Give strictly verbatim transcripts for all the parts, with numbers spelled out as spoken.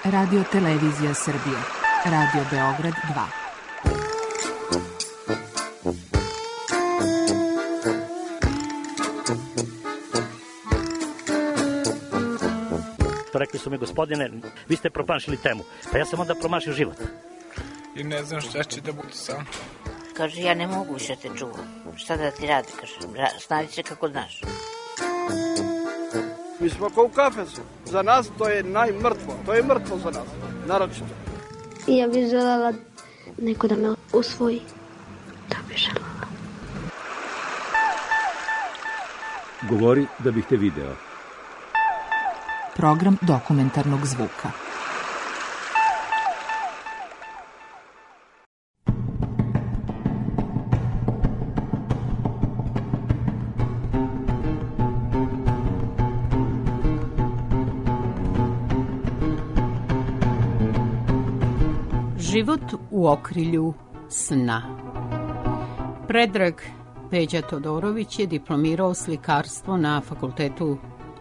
Radio Televizija Srbije. Radio Beograd dva. Rekli su mi, gospodine, vi ste promašili temu. Pa ja sam onda promašio život. I ne znam šta će da bude sam. Kaže, ja ne mogu više te čuvam. Šta da ti radi, kaže, snađi se kako znaš. Mi smo kao u kafesu. Za nas to je najmrtvo. To je mrtvo za nas, naročito. Ja bih želela neko da me usvoji. Da bih želela. Govori da bih te video. Program dokumentarnog zvuka. Život u okrilju sna. Predrag Peđa Todorović je diplomirao slikarstvo na Fakultetu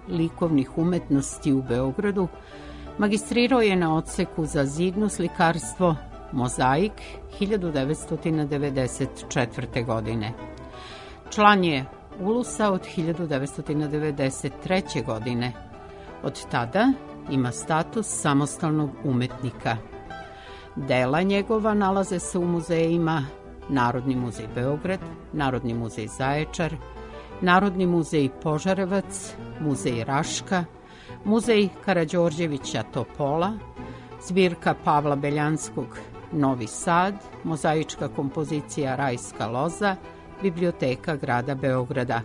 likovnih umetnosti u Beogradu, magistrirao je na odseku za zidno slikarstvo Mozaik hiljadu devetsto devedeset četvrte. godine. Član je Ulusa od hiljadu devetsto devedeset treće. godine. Od tada ima status samostalnog umetnika. Dela njegova nalaze se u muzejima Narodni muzej Beograd, Narodni muzej Zaječar, Narodni muzej Požarevac, Muzej Raška, Muzej Karađorđevića Topola, zbirka Pavla Beljanskog Novi Sad, mozaička kompozicija Rajska loza, Biblioteka grada Beograda,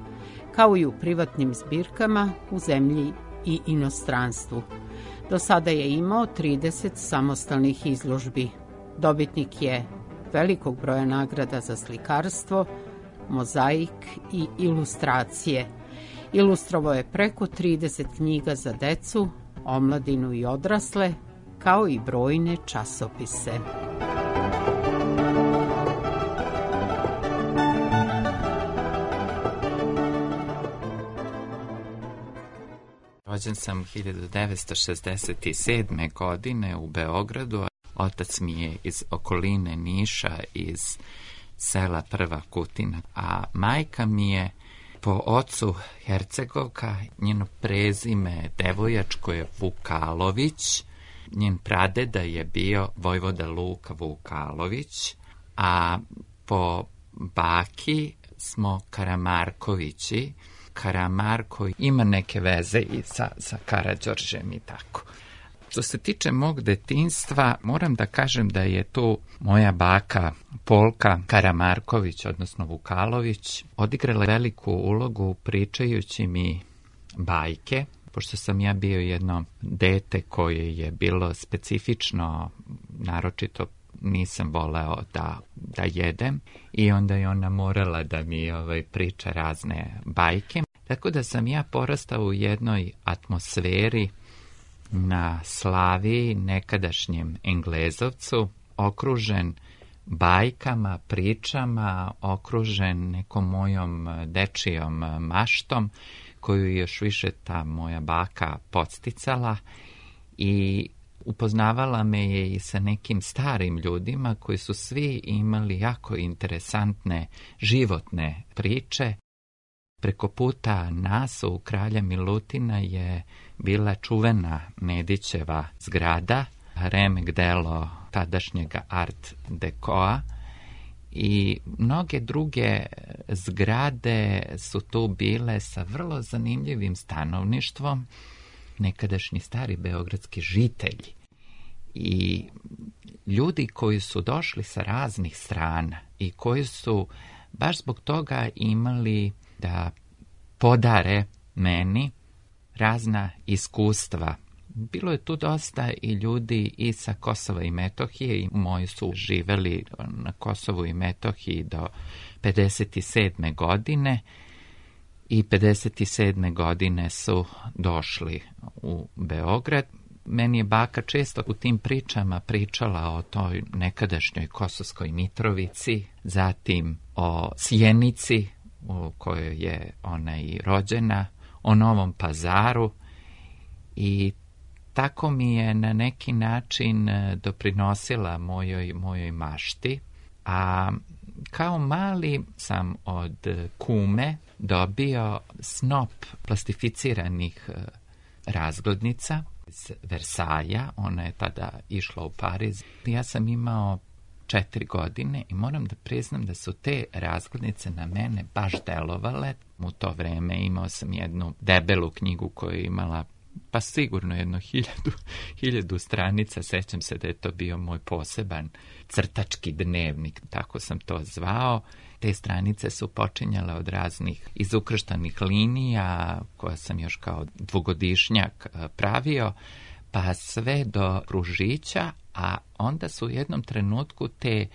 kao i u privatnim zbirkama u zemlji i inostranstvu. Do sada je imao trideset samostalnih izložbi. Dobitnik je velikog broja nagrada za slikarstvo, mozaik i ilustracije. Ilustrovao je preko trideset knjiga za decu, omladinu i odrasle, kao i brojne časopise. Rođen sam hiljadu devetsto šezdeset sedme. godine u Beogradu. Otac mi je iz okoline Niša, iz sela Prva Kutina, a majka mi je po ocu Hercegovka, njeno prezime devojačko je Vukalović, njen pradeda je bio vojvoda Luka Vukalović, a po baki smo Karamarkovići. Karamarko ima neke veze i sa, sa Karađorđem i tako. Što se tiče mog detinjstva, moram da kažem da je tu moja baka Polka Karamarković, odnosno Vukalović, odigrala veliku ulogu pričajući mi bajke, pošto sam ja bio jedno dete koje je bilo specifično, naročito nisam voleo da, da jedem, i onda je ona morala da mi ovaj, priča razne bajke. Tako da sam ja porastao u jednoj atmosferi na Slaviji, nekadašnjem Englezovcu, okružen bajkama, pričama, okružen nekom mojom dečijom maštom, koju još više ta moja baka podsticala, i upoznavala me je i sa nekim starim ljudima koji su svi imali jako interesantne životne priče. Preko puta nas u Kralja Milutina je bila čuvena Nedićeva zgrada, remek delo tadašnjega art dekoa, i mnoge druge zgrade su tu bile sa vrlo zanimljivim stanovništvom, nekadašnji stari beogradski žitelji i ljudi koji su došli sa raznih strana i koji su baš zbog toga imali da podare meni razna iskustva. Bilo je tu dosta i ljudi i sa Kosova i Metohije, i moji su živeli na Kosovu i Metohiji do pedeset sedme. godine, i pedeset sedme. godine su došli u Beograd. Meni je baka često u tim pričama pričala o toj nekadašnjoj Kosovskoj Mitrovici, zatim o Sjenici u kojoj je ona i rođena, o Novom Pazaru, i tako mi je na neki način doprinosila mojoj, mojoj mašti, a kao mali sam od kume dobio snop plastificiranih razglednica iz Versaja. Ona je tada išla u Pariz. Ja sam imao četiri godine i moram da priznam da su te razglednice na mene baš delovale. U to vreme imao sam jednu debelu knjigu koja je imala pa sigurno jedno hiljadu, hiljadu stranica. Sećam se da je to bio moj poseban crtački dnevnik, tako sam to zvao. Te stranice su počinjale od raznih izukrštanih linija, koja sam još kao dvogodišnjak pravio, pa sve do kružića, a onda su u jednom trenutku te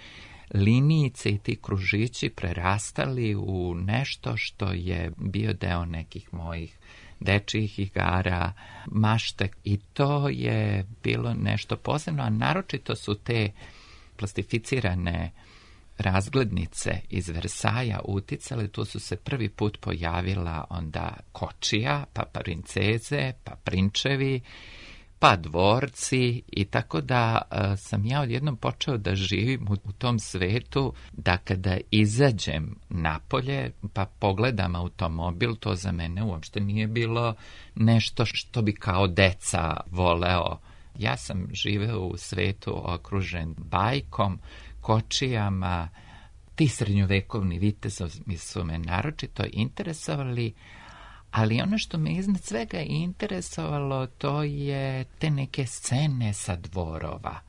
linijice i ti kružići prerastali u nešto što je bio deo nekih mojih dečijih igara, mašte, i to je bilo nešto posebno, a naročito su te plastificirane razglednice iz Versaja uticale. Tu su se prvi put pojavila onda kočija, pa princeze, pa prinčevi, pa dvorci, i tako da a, sam ja odjednom počeo da živim u, u tom svetu, da kada izađem napolje pa pogledam automobil, to za mene uopšte nije bilo nešto što bi kao deca voleo. Ja sam živeo u svetu okružen bajkom, kočijama. Ti srednjovekovni vitezovi su me naročito interesovali, ali ono što me iznad svega interesovalo, to je te neke scene sa dvorova.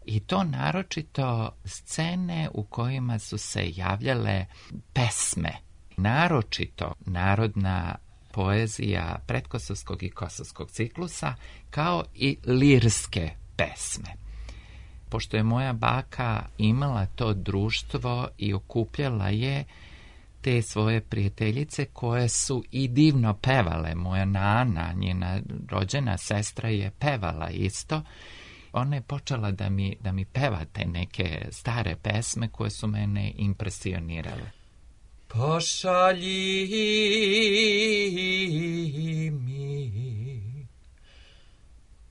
I to naročito scene u kojima su se javljale pesme. Naročito narodna poezija predkosovskog i kosovskog ciklusa, kao i lirske pesme. Pošto je moja baka imala to društvo i okupljala je te svoje prijateljice koje su i divno pevale. Moja nana, njena rođena sestra, je pevala isto. Ona je počela da mi, da mi peva te neke stare pesme koje su mene impresionirale. Pošalji mi,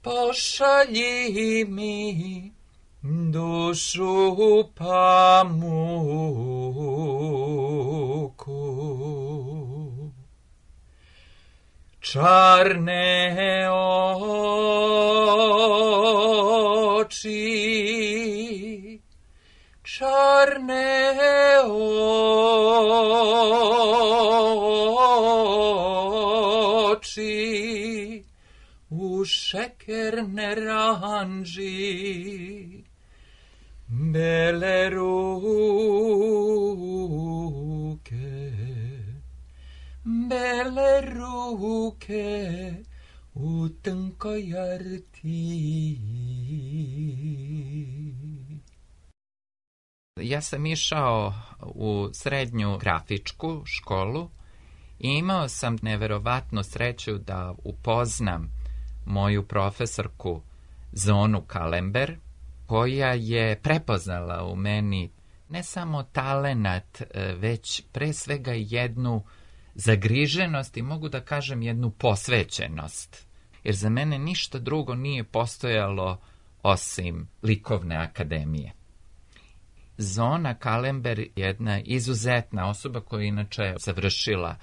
pošalji mi dušu pamuku, čarne oči, čarne oči, u šekerne ranži, bele ruke, bele ruke u tankoj rti. Ja sam išao u srednju grafičku školu i imao sam neverovatnu sreću da upoznam moju profesorku Zonu Kalember, koja je prepoznala u meni ne samo talenat, već pre svega jednu zagriženost i mogu da kažem jednu posvećenost. Jer za mene ništa drugo nije postojalo osim likovne akademije. Zona Kalember je jedna izuzetna osoba koja je inače završila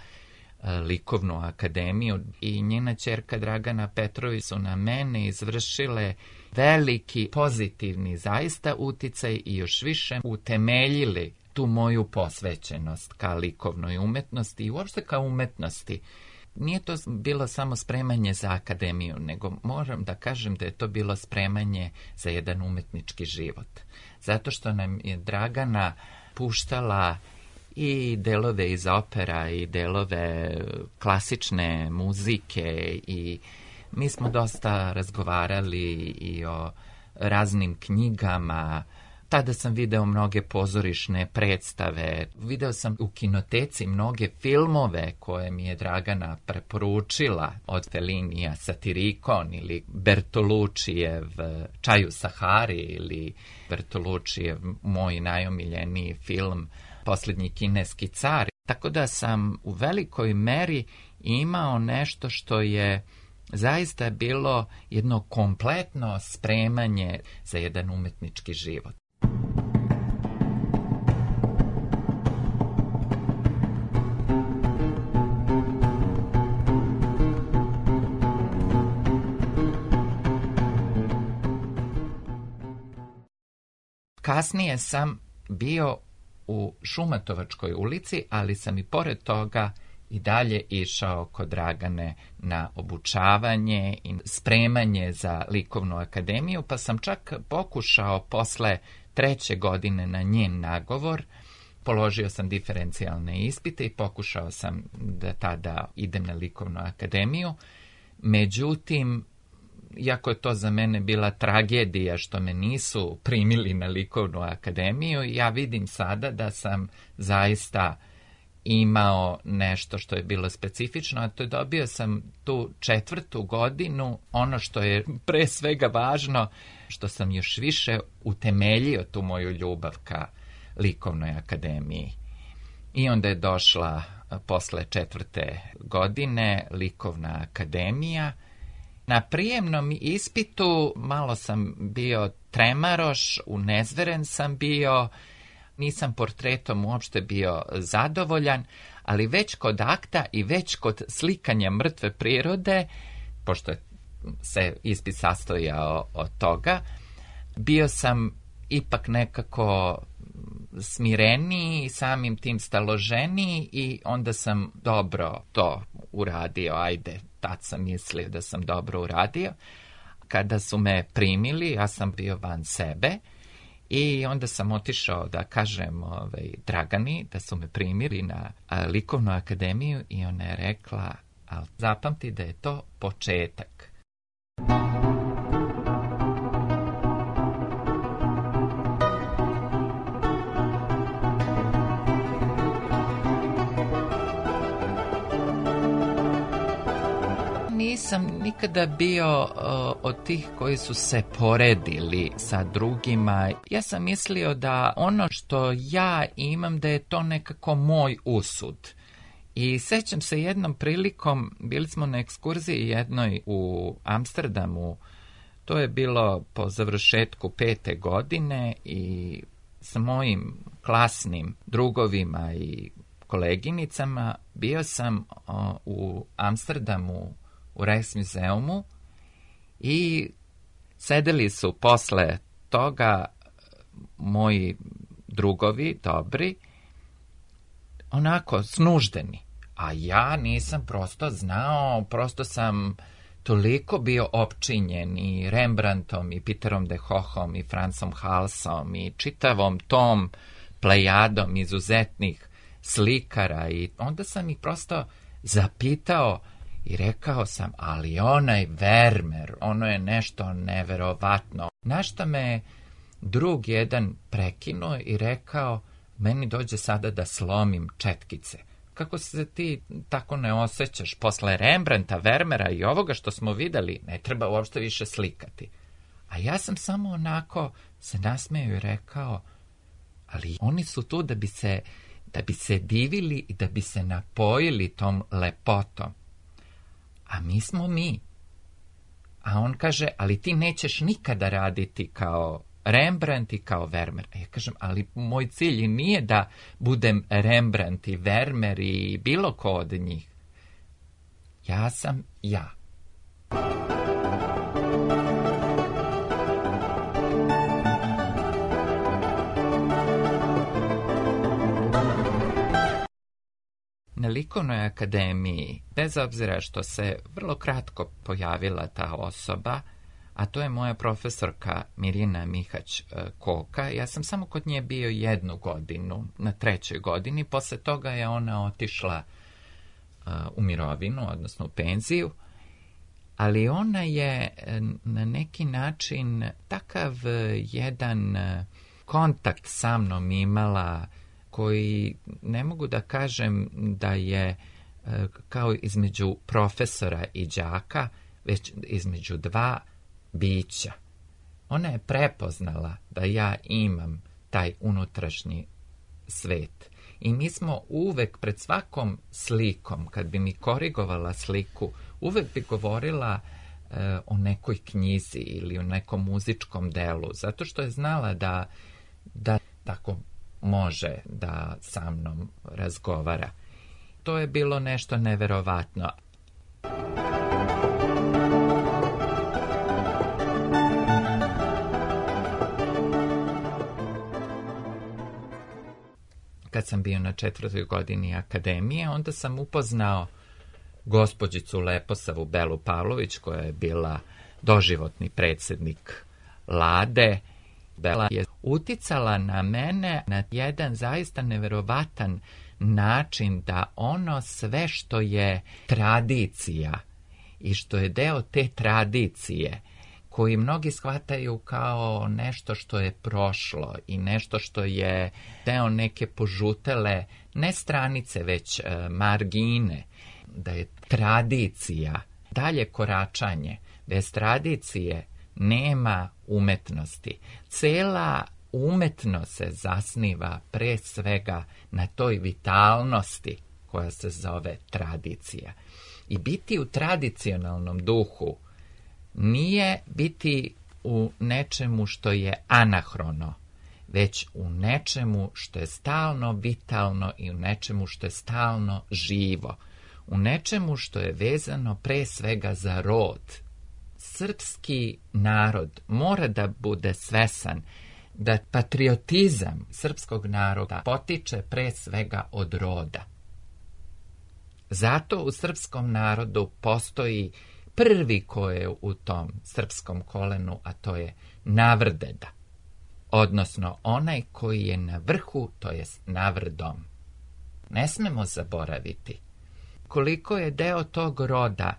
likovnu akademiju, i njena ćerka Dragana Petrović su na mene izvršile veliki pozitivni zaista uticaj i još više utemeljili tu moju posvećenost ka likovnoj umetnosti i uopšte ka umetnosti. Nije to bilo samo spremanje za akademiju, nego moram da kažem da je to bilo spremanje za jedan umetnički život. Zato što nam je Dragana puštala i delove iz opera i delove klasične muzike, i mi smo dosta razgovarali i o raznim knjigama. Tada sam video mnoge pozorišne predstave, video sam u kinoteci mnoge filmove koje mi je Dragana preporučila, od Fellinija Satirikon ili Bertoluccijev Čaj u Sahari ili Bertoluccijev moj najomiljeniji film Posljednji kineski car. Tako da sam u velikoj meri imao nešto što je zaista je bilo jedno kompletno spremanje za jedan umetnički život. Kasnije sam bio u Šumatovačkoj ulici, ali sam i pored toga i dalje išao kod Dragane na obučavanje i spremanje za likovnu akademiju, pa sam čak pokušao posle treće godine na njen nagovor. Položio sam diferencijalne ispite i pokušao sam da tada idem na likovnu akademiju. Međutim, iako je to za mene bila tragedija što me nisu primili na likovnu akademiju, ja vidim sada da sam zaista imao nešto što je bilo specifično, a to je dobio sam tu četvrtu godinu, ono što je pre svega važno, što sam još više utemeljio tu moju ljubav ka likovnoj akademiji. I onda je došla posle četvrte godine likovna akademija. Na prijemnom ispitu malo sam bio tremaroš, unezveren sam bio, nisam portretom uopšte bio zadovoljan, ali već kod akta i već kod slikanja mrtve prirode, pošto se ispit sastojao od toga, bio sam ipak nekako smireniji, samim tim staloženiji i onda sam dobro to uradio, ajde, tad sam mislio da sam dobro uradio. Kada su me primili, ja sam bio van sebe i onda sam otišao da kažem ovaj, Dragani da su me primili na a, likovnu akademiju i ona je rekla, ali zapamti da je to početak. Nisam nikada bio uh, od tih koji su se poredili sa drugima. Ja sam mislio da ono što ja imam, da je to nekako moj usud. I sećam se jednom prilikom, bili smo na ekskurziji jednoj u Amsterdamu, to je bilo po završetku pete godine i sa mojim klasnim drugovima i koleginicama bio sam uh, u Amsterdamu u Rijksmuzeumu i sedeli su posle toga moji drugovi, dobri, onako snuždeni. A ja nisam prosto znao, prosto sam toliko bio opčinjen i Rembrandtom i Peterom de Hohom i Francom Halsom i čitavom tom plejadom izuzetnih slikara i onda sam ih prosto zapitao i rekao sam, ali onaj Vermeer, ono je nešto neverovatno. Na šta me drug jedan prekinuo i rekao, meni dođe sada da slomim četkice. Kako se ti tako ne osjećaš? Posle Rembrandta, Vermeera i ovoga što smo videli, ne treba uopšte više slikati. A ja sam samo onako se nasmejao i rekao, ali oni su tu da bi se, da bi se divili i da bi se napojili tom lepotom. A mi smo mi. A on kaže, ali ti nećeš nikada raditi kao Rembrandt i kao Vermeer. A ja kažem, ali moj cilj nije da budem Rembrandt i Vermeer i bilo ko od njih. Ja sam ja. Na likovnoj akademiji, bez obzira što se vrlo kratko pojavila ta osoba, a to je moja profesorka Mirjana Mihać-Koka, ja sam samo kod nje bio jednu godinu, na trećoj godini, posle toga je ona otišla uh, u mirovinu, odnosno u penziju, ali ona je na neki način takav jedan kontakt sa mnom imala koji ne mogu da kažem da je kao između profesora i đaka, već između dva bića. Ona je prepoznala da ja imam taj unutrašnji svet I mi smo uvek pred svakom slikom, kad bi mi korigovala sliku, uvek bi govorila e, o nekoj knjizi ili o nekom muzičkom delu, zato što je znala da, da tako može da sa mnom razgovara. To je bilo nešto neverovatno. Kad sam bio na četvrtoj godini akademije, onda sam upoznao gospođicu Leposavu Belu Pavlović, koja je bila doživotni predsjednik Lade. Bela je uticala na mene na jedan zaista neverovatan način da ono sve što je tradicija i što je deo te tradicije, koji mnogi shvataju kao nešto što je prošlo i nešto što je deo neke požutele, ne stranice, već e, margine, da je tradicija, dalje koračanje. Bez tradicije nema umetnosti. Cela umetnost se zasniva pre svega na toj vitalnosti koja se zove tradicija. I biti u tradicionalnom duhu nije biti u nečemu što je anahrono, već u nečemu što je stalno vitalno i u nečemu što je stalno živo, u nečemu što je vezano pre svega za rod. Srpski narod mora da bude svesan da patriotizam srpskog naroda potiče pre svega od roda. Zato u srpskom narodu postoji prvi ko je u tom srpskom kolenu, a to je navrdeda, odnosno onaj koji je na vrhu, to je navrdom. Ne smemo zaboraviti koliko je deo tog roda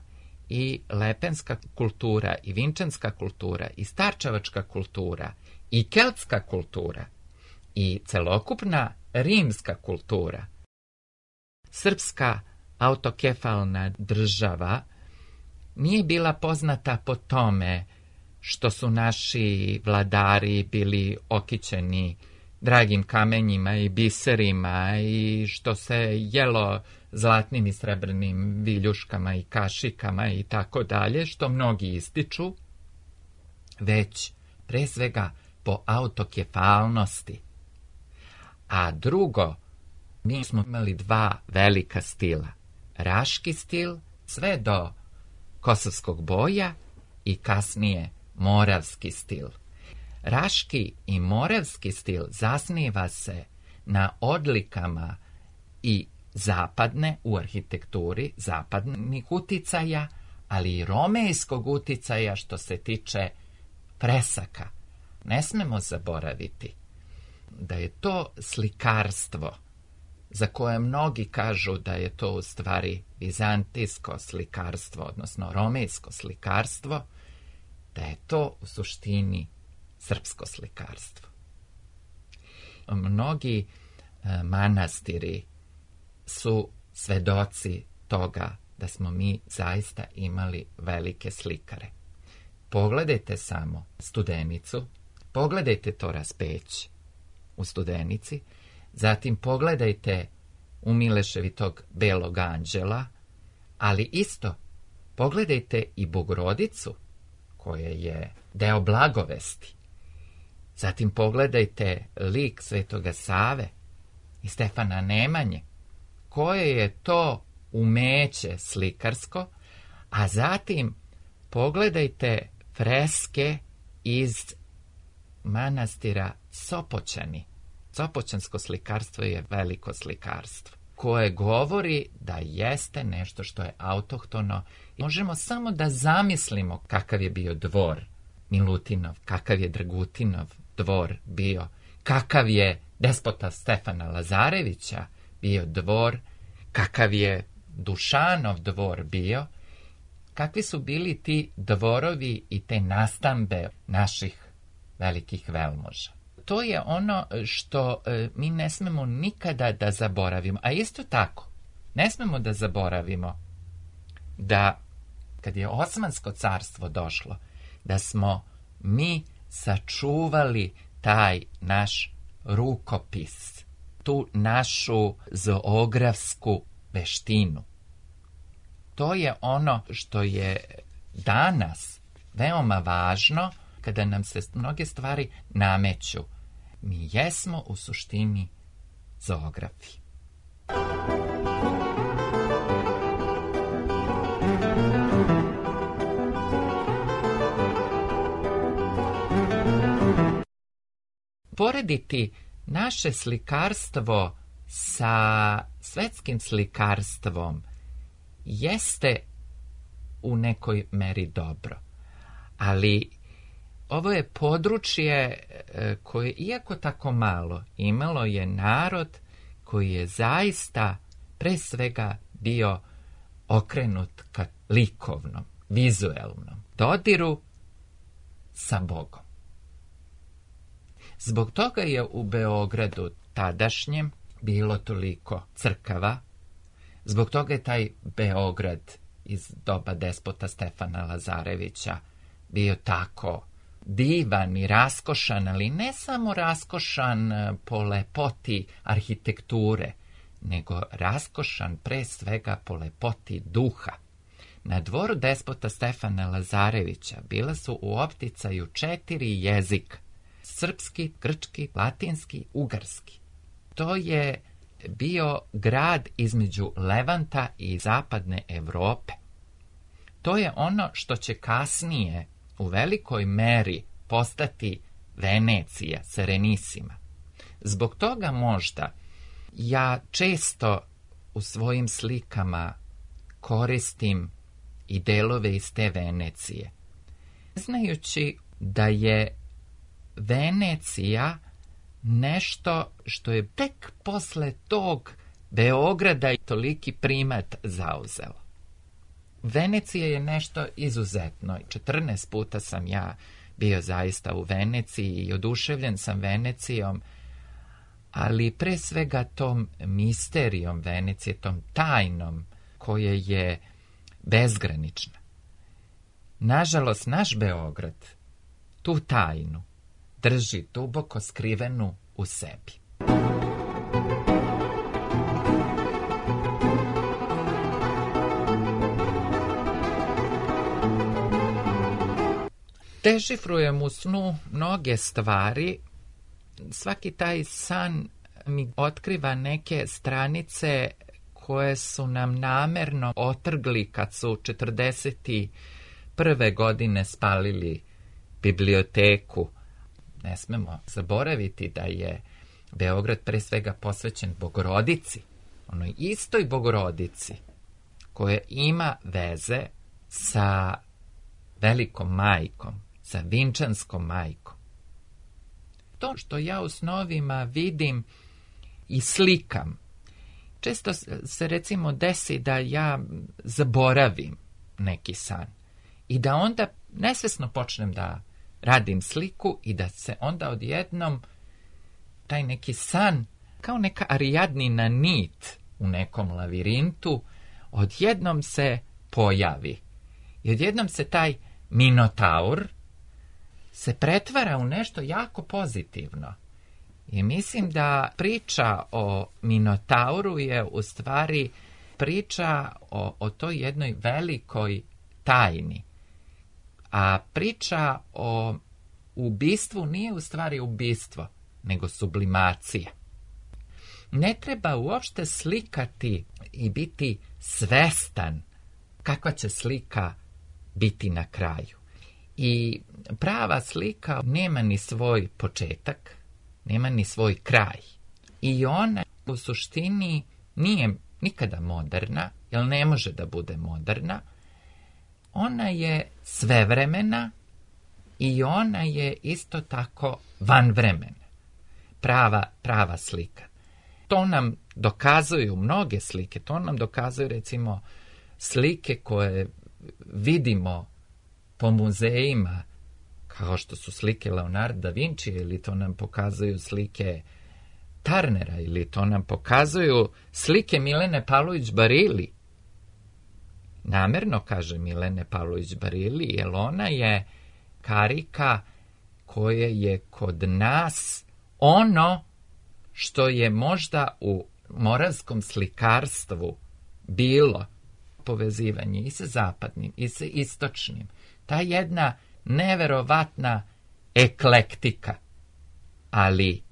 i lepenska kultura, i vinčanska kultura, i starčevačka kultura, i keltska kultura, i celokupna rimska kultura. Srpska autokefalna država nije bila poznata po tome što su naši vladari bili okićeni dragim kamenjima i biserima i što se jelo zlatnim i srebrnim viljuškama i kašikama i tako dalje, što mnogi ističu, već pre svega po autokefalnosti. A drugo, mi smo imali dva velika stila. Raški stil, sve do Kosovskog boja i kasnije moravski stil. Raški i moravski stil zasniva se na odlikama i zapadne u arhitekturi, zapadnih uticaja, ali i romejskog uticaja što se tiče fresaka. Ne smemo zaboraviti da je to slikarstvo, za koje mnogi kažu da je to u stvari vizantijsko slikarstvo, odnosno romejsko slikarstvo, da je to u suštini srpsko slikarstvo. Mnogi e, manastiri su svedoci toga da smo mi zaista imali velike slikare. Pogledajte samo Studenicu, pogledajte to Raspeć u Studenici, zatim pogledajte u Mileševitog Belog anđela, ali isto pogledajte i Bogorodicu, koja je deo blagovesti. Zatim pogledajte lik Svetoga Save i Stefana Nemanje, koje je to umeće slikarsko, a zatim pogledajte freske iz manastira Sopoćani. Sopoćansko slikarstvo je veliko slikarstvo, koje govori da jeste nešto što je autohtono. Možemo samo da zamislimo kakav je bio dvor Milutinov, kakav je Dragutinov dvor bio, kakav je despota Stefana Lazarevića bio dvor, kakav je Dušanov dvor bio, kakvi su bili ti dvorovi i te nastambe naših velikih velmoža. To je ono što e, mi ne smemo nikada da zaboravimo. A isto tako, ne smemo da zaboravimo da kad je Osmansko carstvo došlo, da smo mi sačuvali taj naš rukopis. tu našu zoografsku veštinu. To je ono što je danas veoma važno kada nam se mnoge stvari nameću. Mi jesmo u suštini zoografi. Porediti naše slikarstvo sa svetskim slikarstvom jeste u nekoj meri dobro, ali ovo je područje koje, iako tako malo, imalo je narod koji je zaista pre svega bio okrenut ka likovnom, vizuelnom dodiru sa Bogom. Zbog toga je u Beogradu tadašnjem bilo toliko crkava, zbog toga je taj Beograd iz doba despota Stefana Lazarevića bio tako divan i raskošan, ali ne samo raskošan po lepoti arhitekture, nego raskošan pre svega po lepoti duha. Na dvoru despota Stefana Lazarevića bila su u opticaju četiri jezika: srpski, grčki, latinski, ugarski. To je bio grad između Levanta i zapadne Evrope. To je ono što će kasnije u velikoj meri postati Venecija, Serenissima. Zbog toga možda ja često u svojim slikama koristim i delove iz te Venecije, znajući da je Venecija nešto što je tek posle tog Beograda i toliki primat zauzelo. Venecija je nešto izuzetno. četrnaest puta sam ja bio zaista u Veneciji i oduševljen sam Venecijom, ali pre svega tom misterijom Venecije, tom tajnom koja je bezgranična. Nažalost, naš Beograd tu tajnu drži duboko skrivenu u sebi. Dešifrujem u snu mnoge stvari. Svaki taj san mi otkriva neke stranice koje su nam namerno otrgli kad su četrdeset prve godine spalili biblioteku. Ne smemo zaboraviti da je Beograd pre svega posvećen Bogorodici, onoj istoj Bogorodici koja ima veze sa Velikom majkom, sa Vinčanskom majkom. To što ja u snovima vidim i slikam, često se recimo desi da ja zaboravim neki san i da onda nesvesno počnem da radim sliku i da se onda odjednom taj neki san, kao neka Arijadnina nit u nekom lavirintu, odjednom se pojavi. I odjednom se taj Minotaur se pretvara u nešto jako pozitivno. I mislim da priča o Minotauru je u stvari priča o, o toj jednoj velikoj tajni. A priča o ubistvu nije u stvari ubistvo, nego sublimacija. Ne treba uopšte slikati i biti svestan kakva će slika biti na kraju. I prava slika nema ni svoj početak, nema ni svoj kraj. I ona u suštini nije nikada moderna, jer ne može da bude moderna. Ona je svevremena i ona je isto tako vanvremena. Prava, prava slika. To nam dokazuju mnoge slike. To nam dokazuju recimo slike koje vidimo po muzejima, kao što su slike Leonarda da Vinci, ili to nam pokazuju slike Tarnera, ili to nam pokazuju slike Milene Pavlović Barili. Namerno kaže Milene Pavlović Barili, jer ona je karika koja je kod nas ono što je možda u moravskom slikarstvu bilo povezivanje i sa zapadnim i sa istočnim. Ta jedna neverovatna eklektika, ali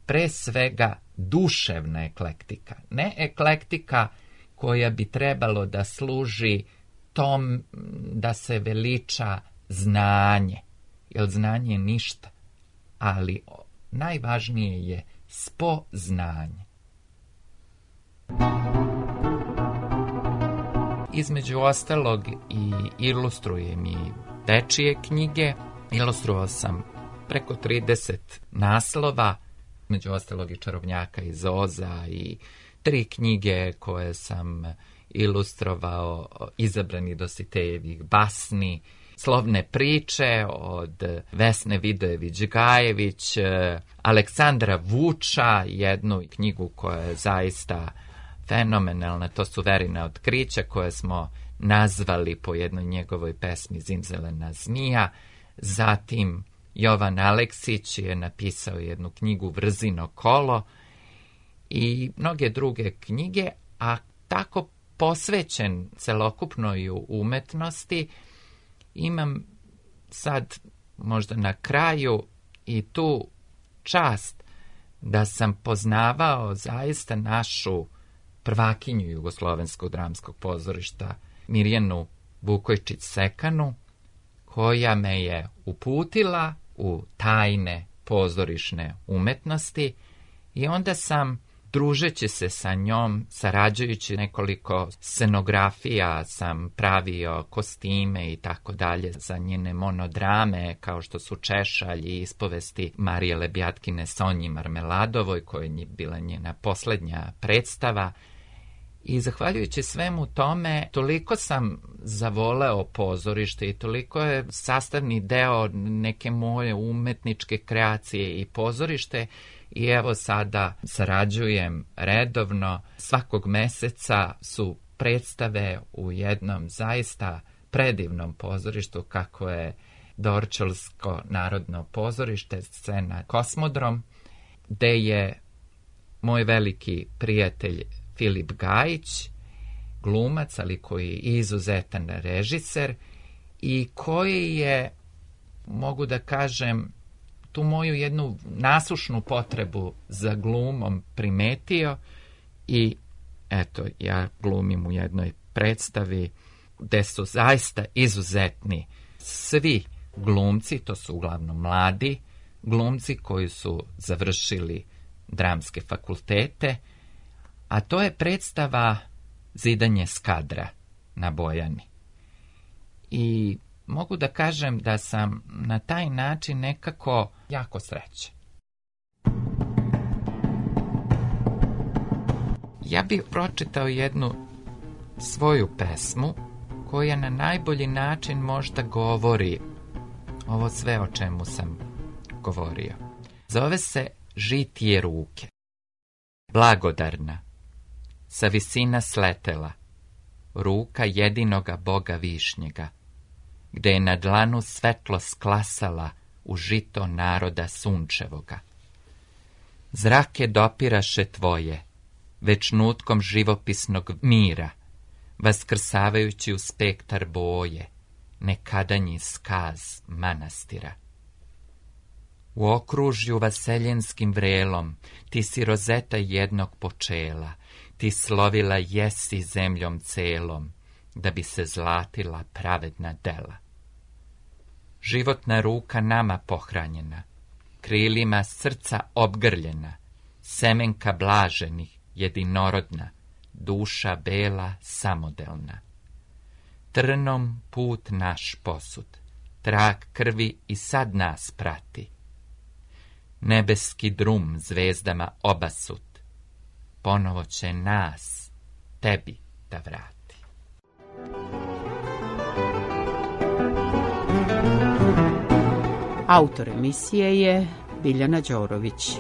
pre svega duševna eklektika. Ne eklektika koja bi trebalo da služi tom da se veliča znanje, jer znanje je ništa, ali najvažnije je spoznanje. Između ostalog i ilustrujem i dečije knjige. Ilustruo sam preko trideset naslova, među ostalog i Čarobnjaka iz Oza i tri knjige koje sam ilustrovao, Izabrani Dositejevih basni, Slovne priče od Vesne Vidojević-Gajević, Aleksandra Vuča, jednu knjigu koja je zaista fenomenalna, to su Verina otkrića koje smo nazvali po jednoj njegovoj pesmi Zimzelena zmija. Zatim Jovan Aleksić je napisao jednu knjigu Vrzino kolo i mnoge druge knjige, a tako posvećen celokupnoj umetnosti imam sad možda na kraju i tu čast da sam poznavao zaista našu prvakinju Jugoslovenskog dramskog pozorišta Mirjanu Vukojčić-Sekanu, koja me je uputila u tajne pozorišne umetnosti i onda sam, družeći se sa njom, sarađujući nekoliko scenografija, sam pravio kostime i tako dalje za njene monodrame, kao što su Češalj i ispovesti Marije Lebjatkine Sonji Marmeladovoj, koja je bila njena posljednja predstava. I zahvaljujući svemu tome, toliko sam zavoleo pozorište i toliko je sastavni deo neke moje umetničke kreacije i pozorište. I evo sada sarađujem redovno. Svakog meseca su predstave u jednom zaista predivnom pozorištu kako je Dorćolsko narodno pozorište, scena Kosmodrom, gde je moj veliki prijatelj Filip Gajić, glumac, ali koji je izuzetan režiser i koji je, mogu da kažem, tu moju jednu nasušnu potrebu za glumom primetio i eto, ja glumim u jednoj predstavi gde su zaista izuzetni svi glumci, to su uglavnom mladi glumci koji su završili dramske fakultete, a to je predstava Zidanje Skadra na Bojani. I mogu da kažem da sam na taj način nekako jako srećan. Ja bih pročitao jednu svoju pesmu koja na najbolji način možda govori ovo sve o čemu sam govorio. Zove se Žitije ruke. Blagodarna, sa visina sletela, ruka jedinoga Boga višnjega, gde je na dlanu svetlo sklasala u žito naroda sunčevoga. Zrake dopiraše tvoje, već nutkom živopisnog mira, vaskrsavajući u spektar boje, nekadanji skaz manastira. U okružju vaseljenskim vrelom, ti si rozeta jednog počela, ti slovila jesi zemljom celom, da bi se zlatila pravedna dela. Životna ruka nama pohranjena, krilima srca obgrljena, semenka blaženih, jedinorodna, duša bela samodelna. Trnom put naš posud, trag krvi i sad nas prati. Nebeski drum zvezdama obasut, ponovo će nas tebi da vrati. Autor emisije je Biljana Đorović.